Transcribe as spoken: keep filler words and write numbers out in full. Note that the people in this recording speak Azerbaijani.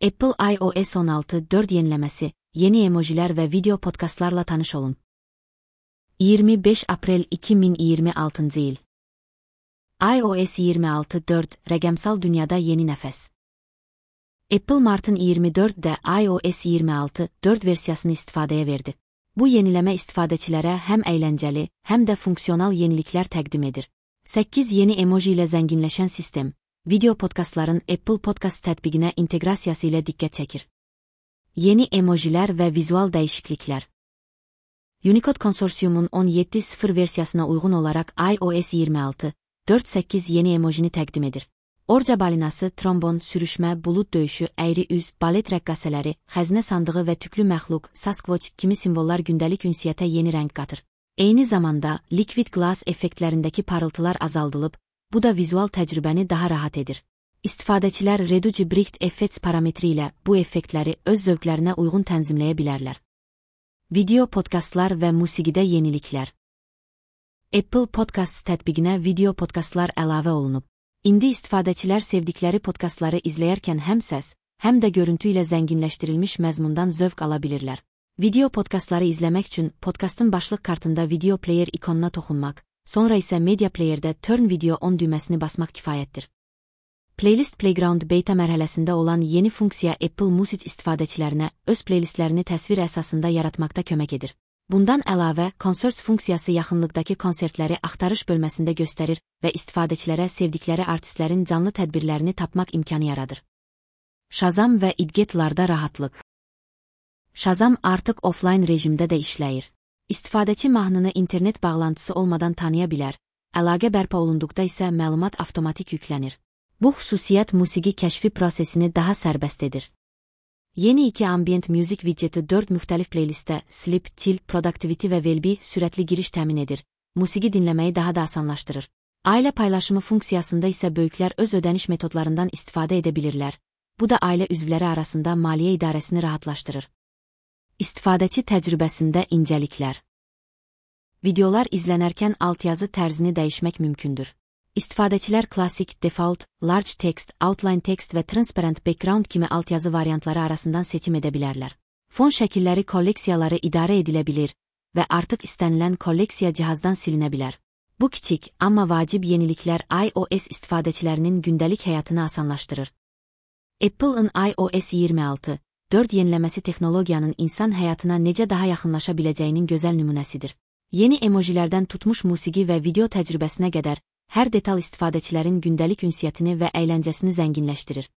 Apple iOS on altı nöqta dörd yeniləməsi, yeni emojilər və video podkastlarla tanış olun. iyirmi beş Aprel iki min iyirmi altıncı il. iOS iyirmi altı nöqta dörd rəqəmsal dünyada yeni nəfəs. Apple martın iyirmi dördündə iOS iyirmi altı nöqta dörd versiyasını istifadəyə verdi. Bu yeniləmə istifadəçilərə həm əyləncəli, həm də funksional yeniliklər təqdim edir. səkkiz yeni emoji ilə zənginləşən sistem, video podkastların Apple Podcast tətbiqinə inteqrasiyası ilə diqqət çəkir. Yeni emojilər və vizual dəyişikliklər. Unicode konsorsiumun on yeddi nöqta sıfır versiyasına uyğun olaraq iOS iyirmi altı nöqta dörd səkkiz yeni emojini təqdim edir. Orca balinası, trombon, sürüşmə, bulud döyüşü, əyri üz, balet rəqqasələri, xəzinə sandığı və tüklü məxluq, Sasquatch kimi simvollar gündəlik ünsiyyətə yeni rəng qatır. Eyni zamanda, liquid glass effektlərindəki parıltılar azaldılıb, bu da vizual təcrübəni daha rahat edir. İstifadəçilər Reduce Bright Effects parametri ilə bu effektləri öz zövqlərinə uyğun tənzimləyə bilərlər. Video podkastlar və musiqidə yeniliklər. Apple Podcasts tətbiqinə video podkastlar əlavə olunub. İndi istifadəçilər sevdikləri podkastları izləyərkən həm səs, həm də görüntü ilə zənginləşdirilmiş məzmundan zövq ala bilirlər. Video podkastları izləmək üçün podkastın başlıq kartında video player ikonuna toxunmaq, sonra isə media playerdə Turn Video On düyməsini basmaq kifayətdir. Playlist Playground beta mərhələsində olan yeni funksiya Apple Music istifadəçilərinə öz playlistlərini təsvir əsasında yaratmaqda kömək edir. Bundan əlavə, Concerts funksiyası yaxınlıqdakı konsertləri axtarış bölməsində göstərir və istifadəçilərə sevdikləri artistlərin canlı tədbirlərini tapmaq imkanı yaradır. Shazam və idgetlarda rahatlıq. Shazam artıq offline rejimdə də işləyir. İstifadəçi mahnını internet bağlantısı olmadan tanıya bilər, əlaqə bərpa olunduqda isə məlumat avtomatik yüklənir. Bu xüsusiyyət musiqi kəşfi prosesini daha sərbəst edir. Yeni iki Ambient Music widgeti dörd müxtəlif playlistə Sleep, Chill, Productivity və Well-Be sürətli giriş təmin edir, musiqi dinləməyi daha da asanlaşdırır. Ailə paylaşımı funksiyasında isə böyüklər öz ödəniş metodlarından istifadə edə bilirlər, bu da ailə üzvləri arasında maliyyə idarəsini rahatlaşdırır. İstifadəçi təcrübəsində incəliklər. Videolar izlənərkən altyazı tərzini dəyişmək mümkündür. İstifadəçilər klassik, default, large text, outline text və transparent background kimi altyazı variantları arasından seçim edə bilərlər. Fon şəkilləri kolleksiyaları idarə edilə bilir və artıq istənilən kolleksiya cihazdan silinə bilər. Bu kiçik, amma vacib yeniliklər iOS istifadəçilərinin gündəlik həyatını asanlaşdırır. Apple'ın iOS iyirmi altı nöqta dörd yeniləməsi texnologiyanın insan həyatına necə daha yaxınlaşa biləcəyinin gözəl nümunəsidir. Yeni emojilərdən tutmuş musiqi və video təcrübəsinə qədər, hər detal istifadəçilərin gündəlik ünsiyyətini və əyləncəsini zənginləşdirir.